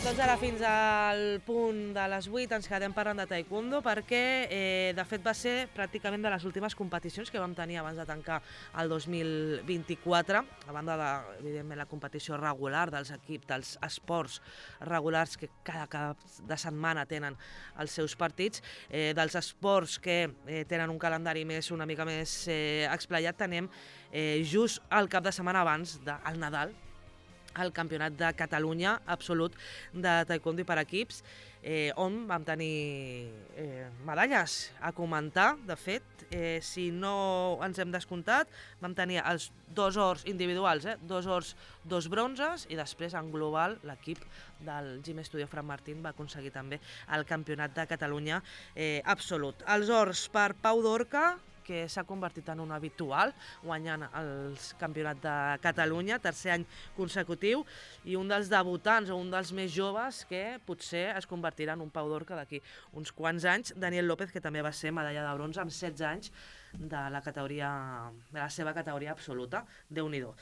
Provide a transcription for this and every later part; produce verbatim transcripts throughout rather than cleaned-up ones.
Doncs ara fins al punt de les vuit ens quedem parlant de taekwondo perquè eh, de fet va ser pràcticament de les últimes competicions que vam tenir abans de tancar el dos mil vint-i-quatre, a banda de, evidentment, la competició regular dels equips, dels esports regulars que cada cap de setmana tenen els seus partits, eh, dels esports que eh, tenen un calendari més una mica més eh, explayat, tenem eh, just el cap de setmana abans del Nadal, el Campionat de Catalunya absolut de taekwondo per equips, eh, on vam tenir eh, medalles a comentar. De fet, eh, si no ens hem descomptat, vam tenir els dos ors individuals, eh, dos ors, dos bronzes, i després en global l'equip del Gym Studio Fran Martín va aconseguir també el Campionat de Catalunya eh, absolut. Els ors per Pau Dorca, que s'ha convertit en un habitual, guanyant el Campionat de Catalunya, tercer any consecutiu, i un dels debutants o un dels més joves que potser es convertirà en un Pau Dorca d'aquí uns quants anys, Daniel López, que també va ser medalla de bronze amb setze anys de la categoria, de la seva categoria absoluta. Déu-n'hi-do.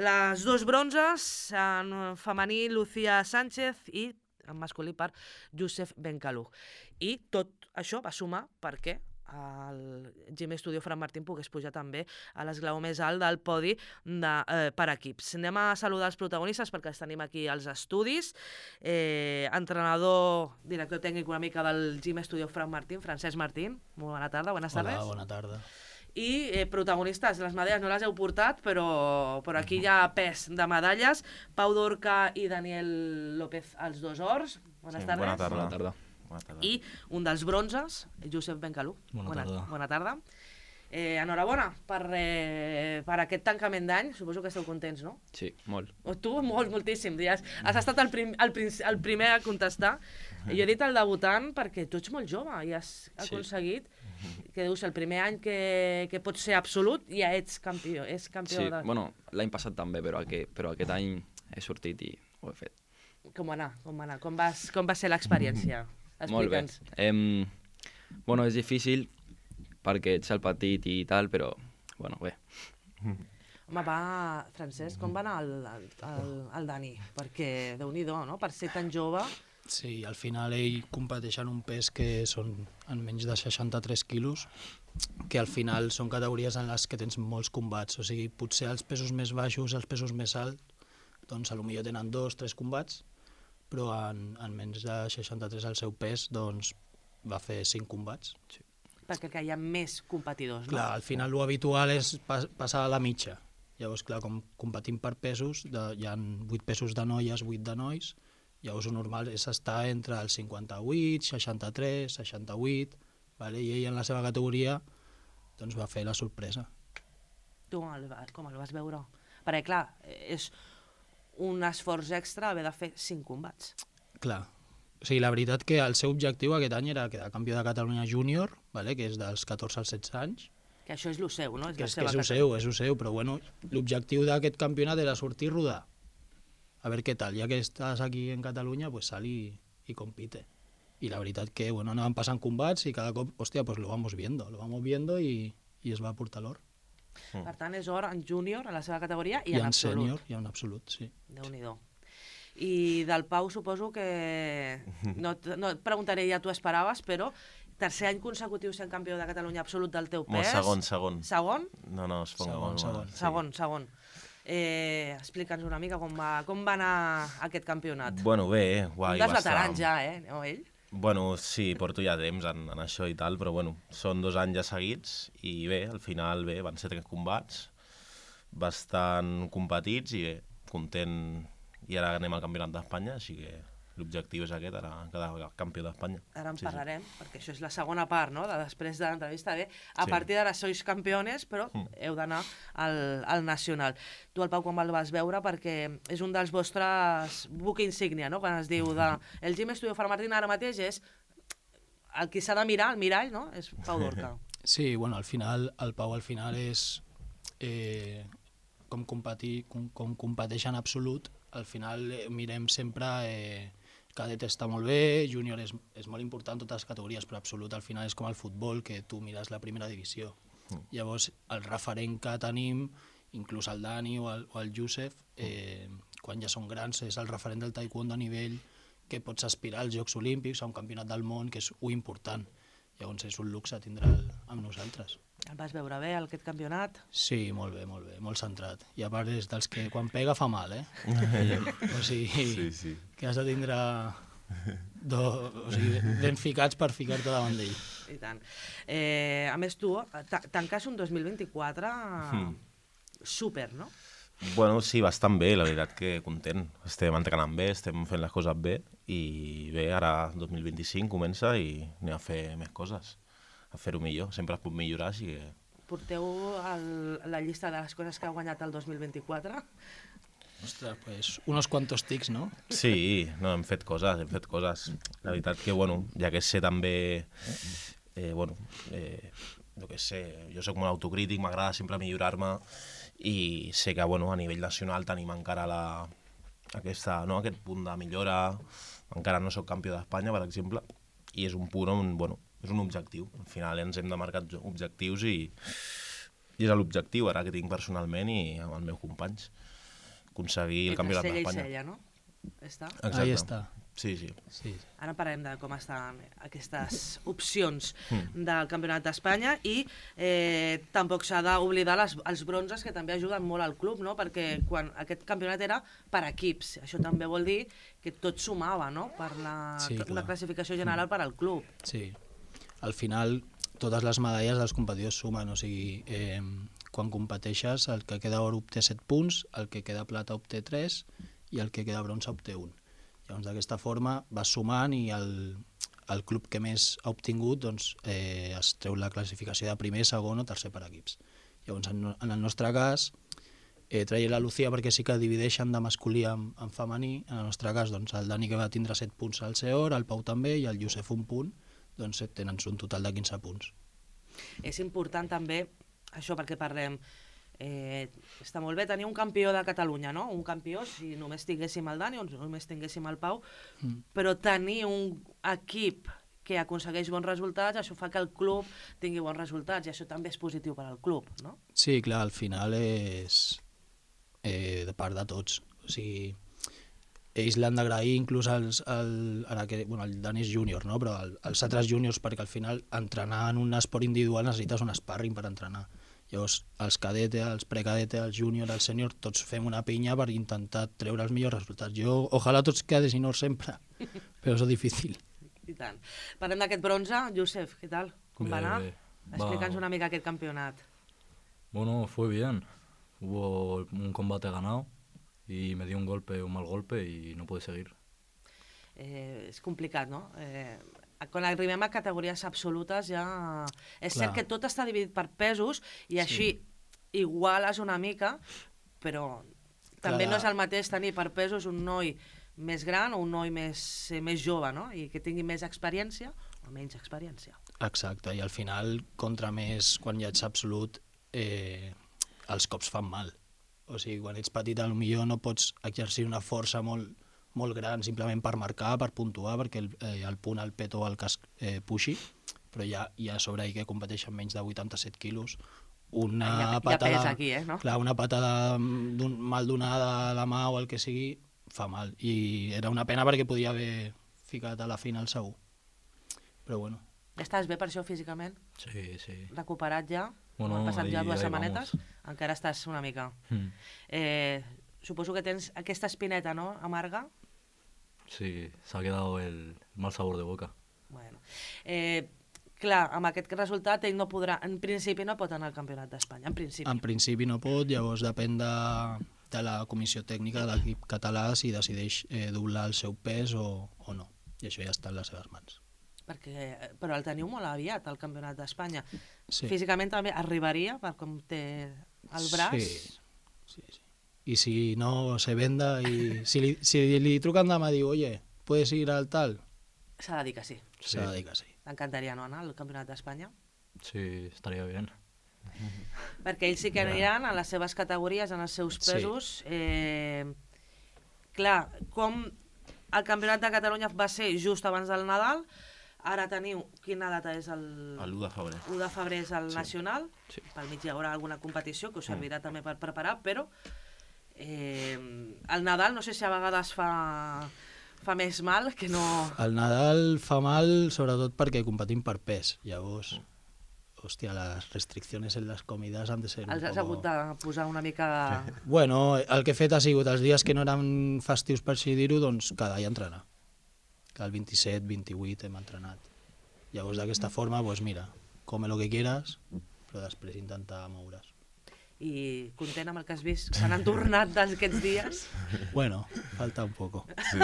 Les dos bronzes, en femení Lucía Sánchez i en masculí per Youssef Benkalou. I tot això va sumar perquè el Gym Studio Fran Martín pogués pujar també a l'esglaó més alt del podi de, eh, per equips. Anem a saludar els protagonistes perquè els tenim aquí als estudis. Eh, entrenador, director tècnic una mica del Gym Studio Fran Martín, Francesc Martín. Molt bona tarda, buenas tardes. Hola, bona tarda. I eh, protagonistes, les medalles no les heu portat, però, però aquí hi ha pes de medalles. Pau Dorca i Daniel López, els dos ors. Bones Sí, tardes. bona tarda. Bona tarda. I un dels bronzes, Youssef Benkalou. Bona bona tarda. Bona tarda. Eh, enhorabona per, eh, per aquest tancament d'any. Suposo que esteu contents, no? Sí, molt. O tu, molt, moltíssim. Has, has estat el, prim, el, prim, el primer a contestar. Jo he dit el debutant perquè tu ets molt jove i has aconseguit, sí, que dius, el primer any que, que pots ser absolut, ja ets campió. És campió Sí, de... bueno, l'any passat també, però, aquest, però aquest any he sortit i ho he fet. Com va anar? Com va anar? Com, vas, com va ser l'experiència? Molt bé. Em, bueno, és difícil perquè ets el petit i tal, però, bueno, bé. Home, va, Francesc, com va anar el, el, el, el Dani? Perquè, Déu-n'hi-do, no? Per ser tan jove... Sí, al final ell competeix en un pes que són en menys de seixanta-tres quilos, que al final són categories en les que tens molts combats. O sigui, potser els pesos més baixos, els pesos més alts, doncs potser tenen dos, tres combats, però en, en menys de seixanta-tres el seu pes doncs, va fer cinc combats. Sí. Perquè que hi ha més competidors, no? Clar, al final l'habitual és pas, passar a la mitja. Llavors, clar, com competim per pesos, de, hi ha vuit pesos de noies, vuit de nois, llavors el normal és estar entre els cinquanta-vuit, seixanta-tres, seixanta-vuit, vale? I ell en la seva categoria doncs, va fer la sorpresa. Tu com el, com el vas veure? Perquè, clar, és un esforç extra haver de fer cinc combats. Clar. O sigui, la veritat que el seu objectiu aquest any era quedar campió de Catalunya júnior, vale? Que és dels catorze als setze anys. Que això és el seu, no? És que la és, seva que és el seu, és el seu, però bueno, l'objectiu d'aquest campionat era sortir i rodar. A veure què tal, ja que estàs aquí en Catalunya, pues sal i, i compite. I la veritat que, bueno, anaven passant combats i cada cop, hòstia, pues lo vamos viendo, lo vamos viendo i, i es va portar l'or. Mm. Per tant, és or en júnior, en la seva categoria, i, I en, en absolut. sènior, i en absolut, sí. Déu-n'hi-do. I del Pau suposo que... No, no et preguntaré ja tu esperaves, però tercer any consecutiu sent campió de Catalunya absolut del teu pes. Molt segon, segon. Segon? No, no, es ponga Segon, molt segon. mal. Sí. Segon, segon. Eh, Explica'ns una mica com va, com va anar aquest campionat. Bueno, bé, guai. Un dels va estar- veterans ja, eh? No, ell? Bueno, sí, porto ja temps en, en això i tal, però bueno, són dos anys ja seguits i bé, al final bé, van ser tres combats bastant competits i bé, content, i ara anem al Campionat d'Espanya, així que l'objectiu és aquest, ara quedar campió d'Espanya. Ara en Sí, sí. parlarem, perquè això és la segona part, no?, de després de l'entrevista. Bé, a Sí. partir d'ara sois campeones, però Mm. heu d'anar al, al nacional. Tu, el Pau, com el vas veure? Perquè és un dels vostres buc insígnia, no?, quan es diu de... El Gym Estudio Farmartín ara mateix és el qui s'ha de mirar, el mirall, no?, és Pau Dorca. Sí, bueno, al final, el Pau al final és eh, com, competir, com, com competeix en absolut, al final eh, mirem sempre, eh, cadet està molt bé, júnior és, és molt important, totes les categories, però absolut al final és com el futbol, que tu mires la primera divisió. Mm. Llavors, el referent que tenim, inclús el Dani o el, o el Josep, eh, quan ja són grans, és el referent del taekwondo a nivell que pots aspirar als Jocs Olímpics, a un campionat del món, que és un important. Llavors és un luxe tindre'l amb nosaltres. El vas veure bé, aquest campionat? Sí, molt bé, molt bé, molt centrat. I a part és dels que quan pega fa mal, eh? O sigui, Sí, sí. que has de tindre do, o sigui, ben ficats per ficar-te davant d'ell. I tant. Eh, a més, tu ta- tanques un dos mil vint-i-quatre Mm. súper, no? Bueno, sí, bastant bé, la veritat que content. Estem entrenant bé, estem fent les coses bé i bé, ara dos mil vint-i-cinc comença i anem a fer més coses, a fer-ho millor. Sempre es pot millorar, així que... Porteu el, la llista de les coses que ha guanyat el dos mil vint-i-quatre? Ostres, pues, unos cuantos tics, no? Sí, no, hem fet coses, hem fet coses. La veritat que, bueno, ja que sé també... Eh, bueno, eh, jo què sé, jo sóc molt autocrític, m'agrada sempre millorar-me i sé que, bueno, a nivell nacional tenim encara la, aquesta, no, aquest punt de millora. Encara no sóc campió d'Espanya, per exemple, i és un punt on, bueno, és un objectiu. Al final ens hem de marcar objectius i, i és l'objectiu ara que tinc personalment i amb els meus companys. Aconseguir el campionat Cella i d'Espanya. cella, no? Està? Exacte. Ahí està. Sí, sí. Sí. Ara parlem de com estan aquestes opcions Mm. del Campionat d'Espanya i eh, tampoc s'ha d'oblidar les- els bronzes, que també ajuden molt al club, no? Perquè quan aquest campionat era per equips, això també vol dir que tot sumava, no?, per la, Sí, una clar. classificació general per al club. Sí. Al final, totes les medalles dels competidors sumen, o sigui, eh, quan competeixes, el que queda or obté set punts, el que queda plata obté tres i el que queda bronze obté un. Llavors, d'aquesta forma vas sumant i el, el club que més ha obtingut doncs, eh, es treu la classificació de primer, segon o tercer per equips. Llavors, en, en el nostre cas, eh, traia la Lucía perquè sí que divideixen de masculí en, en femení. En el nostre cas, doncs, el Dani, que va tindre set punts al Seor, el Pau també, i el Josep un punt, doncs tenen un total de quinze punts. És important també, això perquè parlem, eh, està molt bé tenir un campió de Catalunya, no? Un campió, si només tinguéssim el Dani o només tinguéssim el Pau, Mm. però tenir un equip que aconsegueix bons resultats, això fa que el club tingui bons resultats i això també és positiu per al club, no? Sí, clar, al final és eh, de part de tots. O sigui, ells l'han d'agrair inclús als, al, ara que, bueno, el Dani és júnior, no? Però el, els altres júniors, perquè al final entrenar en un esport individual necessites un sparring per entrenar. Llavors, els cadete, els precadete, els júnior, els sènior, tots fem una pinya per intentar treure els millors resultats. Jo, ojalà tots quedessin or sempre, però és difícil. I tant. Parlem d'aquest bronze. Josep, què tal? Com va Bé, anar? bé. Explica'ns Va. una mica aquest campionat. Bueno, fue bien. Hubo un combate ganado y me dio un golpe, un mal golpe y no pude seguir. Eh, és complicat, no? Eh, quan arribem a categories absolutes ja... És Clar. cert que tot està dividit per pesos i així iguales una mica, però també Clar. no és el mateix tenir per pesos un noi més gran o un noi més, eh, més jove, no? I que tingui més experiència o menys experiència. Exacte, i al final, contra més, quan ja ets absolut, eh, els cops fan mal. O sigui, quan ets petit, potser no pots exercir una força molt, molt gran simplement per marcar, per puntuar, perquè el, eh, el punt, el peto o el casc eh, puixi, però hi ha, hi ha sobre ahí que competeixen menys de vuitanta-set quilos, una Hi ha- hi ha patada, pes aquí, eh, no? clar, una patada d'un, mal donada a la mà o el que sigui, fa mal. I era una pena perquè podia haver ficat a la final segur. Però bueno, Estàs bé per això físicament? Sí, sí. Recuperat ja? Bueno, Han passat ahí- ja dues ahí setmanetes? vamos. Encara estàs una mica. Mm. Eh, suposo que tens aquesta espineta, no?, amarga. Sí, se ha quedado el mal sabor de boca. Bueno. Eh, clar, amb aquest resultat ell no podrà, en principi no pot anar al Campionat d'Espanya, en principi. en principi no pot, llavors depèn de, de la comissió tècnica de l'equip català si decideix eh, doblar el seu pes o, o no. I això ja està en les seves mans. Perquè, però el teniu molt aviat, al Campionat d'Espanya. Sí. Físicament també arribaria, per com té el braç? Sí, sí, sí. I si no se venda i si li, si li truquen demà i diu, oye, ¿puedes ir al tal? S'ha de dir que sí. Sí. S'ha de dir que sí. T'encantaria no anar al Campionat d'Espanya? Sí, estaría bien. Perquè ells sí que aniran a les seves categories, en els seus Sí. pesos. Eh, clar, com el Campionat de Catalunya va ser just abans del Nadal, ara teniu, quina data és el... l'u de febrer. l'u de febrer és el nacional, Sí. pel mig hi haurà alguna competició que us servirà també per preparar, però eh, el Nadal no sé si a vegades fa, fa més mal que no... El Nadal fa mal sobretot perquè competim per pes. Llavors, hòstia, les restriccions en les comides han de ser un Els has poco... hagut de posar una mica... Bueno, el que he fet ha sigut els dies que no eren festius per així dir-ho, doncs cada dia entrenar. Que el vint-i-set, vint-i-vuit hem entrenat. Llavors d'aquesta forma, doncs mira, come lo que quieras, però després intentar moure's. I content amb el que has vist, se n'han tornat d'aquests dies? Bueno, falta un poco. Sí.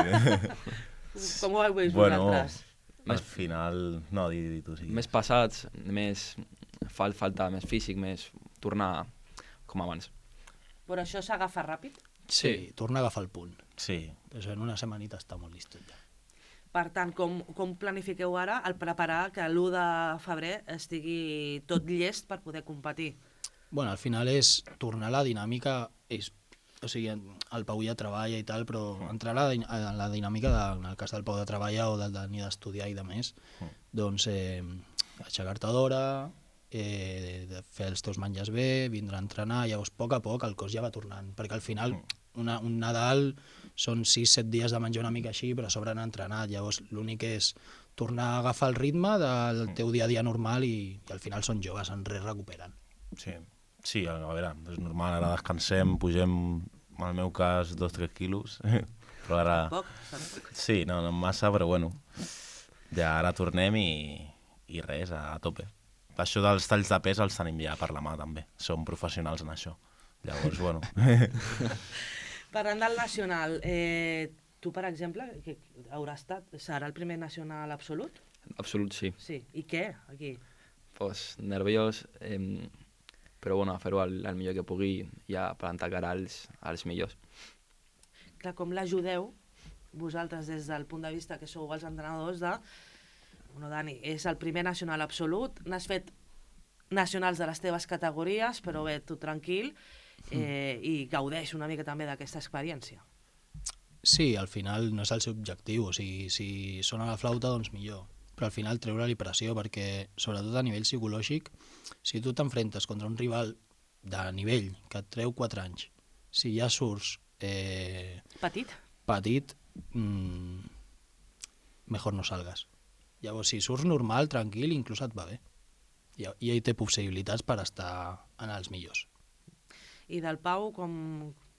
Com ho heu vist Bueno, vosaltres? al final... No, di, di tu, sí. Més passats, més fal, falta més físic, més tornar com abans. Però això s'agafa ràpid? Sí, torna a agafar el punt. Sí. Això en una setmanita està molt listot ja. Per tant, com, com planifiqueu ara el preparar que l'u de febrer estigui tot llest per poder competir? Bueno, al final és tornar a la dinàmica, és, o sigui, el Pau ja treballa i tal, però entrar a la, din- a la dinàmica, de, en el cas del Pau de treballar o del Dani d'estudiar i de més, doncs eh, aixecar-te d'hora, eh, de fer els teus menjars bé, vindre a entrenar, llavors a poc a poc el cos ja va tornant, perquè al final una, un Nadal són sis set dies de menjar una mica així, però a sobre han entrenat, llavors l'únic és tornar a agafar el ritme del teu dia a dia normal i, i al final són joves, en res recuperen. Sí. Sí, a veure, és normal, ara descansem, pugem, en el meu cas, dos o tres quilos, però ara... Poc? Sí, no, no massa, però bueno, ja ara tornem i, i res, a, a tope. Això dels talls de pes els tenim ja per la mà, també. Som professionals en això. Llavors, bueno... Parlant del nacional, eh, tu, per exemple, que haurà estat, serà el primer nacional absolut? Absolut, sí. Sí. I què, aquí? Pues nerviós, eh, però bueno, a fer-ho el, el millor que pugui ja plantar cara als, als millors. Clar, com l'ajudeu vosaltres des del punt de vista que sou els entrenadors de... Bueno, Dani, és el primer nacional absolut, n'has fet nacionals de les teves categories, però bé, tu tranquil, eh, i gaudeix una mica també d'aquesta experiència. Sí, al final no és el seu objectiu, o sigui, si sona la flauta, doncs millor. Però al final treure-li pressió, perquè sobretot a nivell psicològic, si tu t'enfrentes contra un rival de nivell que et treu quatre anys, si ja surts eh, Petit? petit, mmm, mejor no salgas. Llavors, si surts normal, tranquil, inclús et va bé. I, i ell té possibilitats per estar en els millors. I del Pau, com...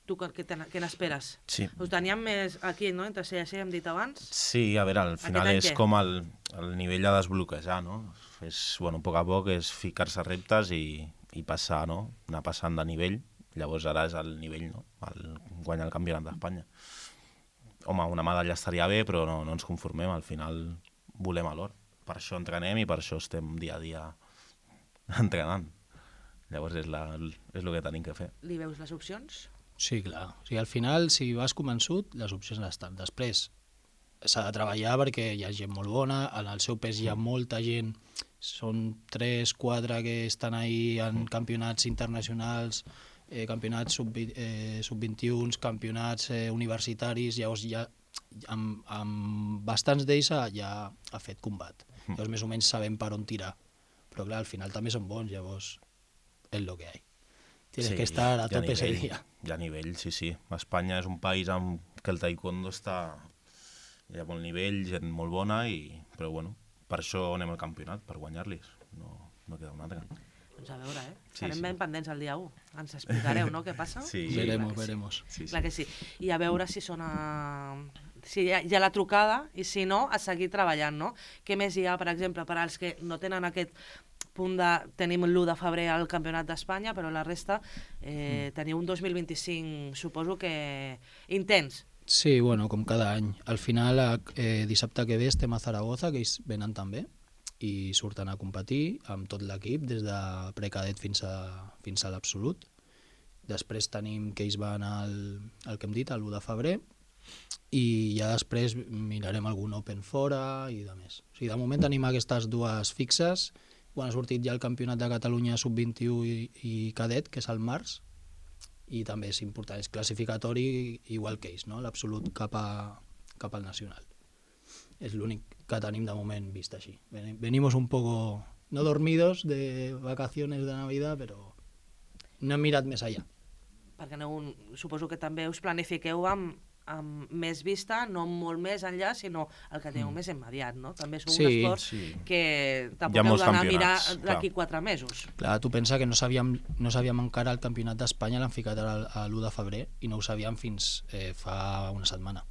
tu què, te, què n'esperes? Sí. Us teníem més aquí, no? Entre C i C, hem dit abans. Sí, a veure, al final any és què? com el, el nivell de desbloquejar, no? És, bueno, a poc a poc és ficar-se reptes i, i passar, no? Anar passant de nivell. Llavors ara és el nivell, no? El, guanyar el campionat d'Espanya. Home, una medalla estaria bé, però no, no ens conformem. Al final volem a l'or. Per això entrenem i per això estem dia a dia entrenant. Llavors és, la, és el que tenim que fer. Li veus les opcions? Sí, clar. O sigui, al final, si vas convençut, les opcions estan. Després, s'ha de treballar perquè hi ha gent molt bona, en el seu pes hi ha molta gent, són tres, quatre que estan ahí en campionats internacionals, eh, campionats sub, eh, sub vint-i-u, campionats eh, universitaris, llavors ja amb, amb bastants d'ells ja ha fet combat. Llavors més o menys sabem per on tirar. Però clar, al final també són bons, llavors és el que hi ha. Tienes Sí, que estar a hi ha tope ese nivell, día. Hi ha nivell, sí, sí. Espanya és un país amb que el taekwondo està... Hi ha bon nivell, gent molt bona, i... però bueno, per això anem al campionat, per guanyar-los. No, no queda un altre. Doncs a veure, eh? Sí, Serem sí. ben pendents el dia u. Ens explicareu, no?, què passa? Sí. Veremos, clar que sí. veremos. Sí, sí. Clar que sí. I a veure si sona... Si hi ha, hi ha la trucada, i si no, a seguir treballant, no? Què més hi ha, per exemple, per als que no tenen aquest punt de... Tenim l'u de febrer al Campionat d'Espanya, però la resta eh, teniu un dos mil vint-i-cinc, suposo que intens. Sí, bueno, com cada any. Al final, eh, dissabte que ve estem a Zaragoza, que ells venen també, i surten a competir amb tot l'equip, des de precadet fins a, fins a l'absolut. Després tenim que ells van al, al que hem dit, a l'u de febrer, i ja després mirarem algun Open fora i de més. O sigui, de moment tenim aquestes dues fixes. Bueno, ha sortit ja el Campionat de Catalunya sub vint-i-u i, i cadet, que és al març, i també és important, és classificatori igual que ells, no? L'absolut cap, a, cap al nacional. És l'únic que tenim de moment vist així. Ven- Venimos un poco, no dormidos de vacaciones de Navidad, però no hem mirat més allà. Perquè no, suposo que també us planifiqueu amb, amb més vista, no molt més enllà, sinó el que teniu mm. més immediat, no? També és un Sí, esport sí. que Hi tampoc ha heu molts d'anar a mirar campionats, d'aquí clar. quatre mesos. Clar, tu pensa que no sabíem, no sabíem encara el Campionat d'Espanya, l'han ficat ara a l'u de febrer, i no ho sabíem fins eh, fa una setmana.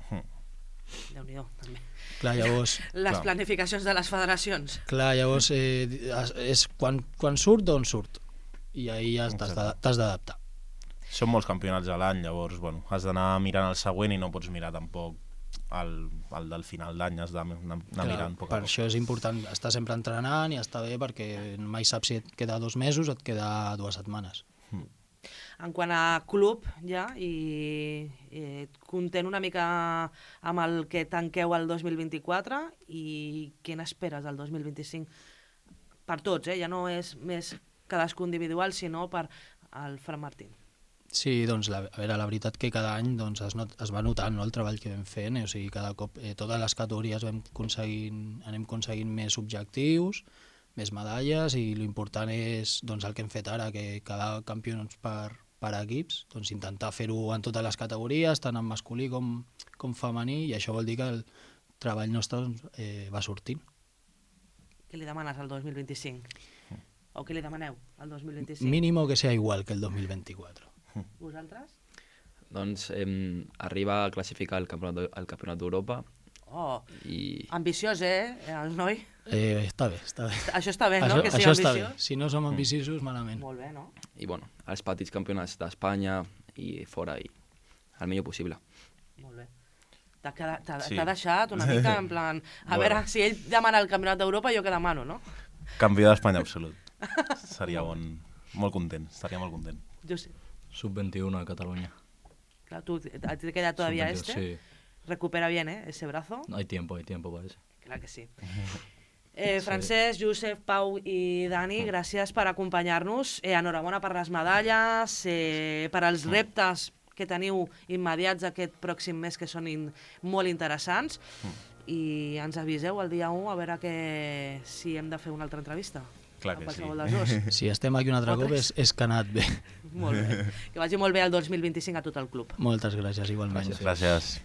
Déu-n'hi-do, també. Clar, llavors... Les Clar. planificacions de les federacions. Clar, llavors eh, és quan, quan surt, d'on surt. I ahir ja t'has de- t'has d'adaptar. Són molts campionats a l'any, llavors bueno, has d'anar mirant el següent i no pots mirar tampoc el, el del final d'any, has d'anar anar Clar, mirant poc per a poc. això és important estar sempre entrenant i estar bé, perquè mai saps si et queda dos mesos o et queda dues setmanes. En quant a club, ja, i eh, content una mica amb el que tanqueu el dos mil vint-i-quatre i què n'esperes del dos mil vint-i-cinc per tots, eh? Ja no és més cadascun individual, sinó per al Fran Martín. Sí, doncs la, a veure, la veritat que cada any doncs, es, not, es va notant, no, el treball que vam fent, eh? O sigui, cada cop eh, totes les categories vam aconseguint, anem aconseguint més objectius, més medalles, i l'important és doncs, el que hem fet ara, que cada campions per, per equips, doncs intentar fer-ho en totes les categories, tant en masculí com, com femení, i això vol dir que el treball nostre doncs, eh, va sortint. Què li demanes al dos mil vint-i-cinc? O què li demaneu al dos mil vint-i-cinc? Mínimo que sea igual que el dos mil vint-i-quatre. Vosaltres? Doncs eh, arriba a classificar el campionat, el campionat d'Europa Oh, i ambiciós, eh, el noi? Eh, està bé, està bé. Això està bé, no?, Això, que sigui això està bé. ambiciós. Si no som ambiciosos, malament. Molt bé, no? i bueno, els petits campionats d'Espanya i fora i el millor possible. Molt bé. T'ha quedat- t'ha Sí. t'ha deixat una mica en plan... A Bueno. veure, si ell demana el Campionat d'Europa, jo què demano, no? Campió d'Espanya absolut. Seria bon, molt content, estaria molt content. Jo sé. sub veintiuno a Cataluña. Claro, tú, a ti te queda todavía sub veintidós, este. Sí, Recupera bien, ¿eh? Ese brazo. hay tiempo, hay tiempo para eso. Clar que sí. Eh, Francesc, Josep, Pau i Dani, gràcies per acompanyar-nos. Eh, enhorabona per les medalles, eh, per als reptes que teniu immediats aquest pròxim mes, que són in, molt interessants. I ens aviseu el dia u a veure que, si hem de fer una altra entrevista. Clar A que sí. qualsevol dels dos. Si estem aquí un altre O cop tres. és, és que ha anat bé. Molt bé. Que vagi molt bé el dos mil vint-i-cinc a tot el club. Moltes gràcies, igualment. Gràcies. Gràcies.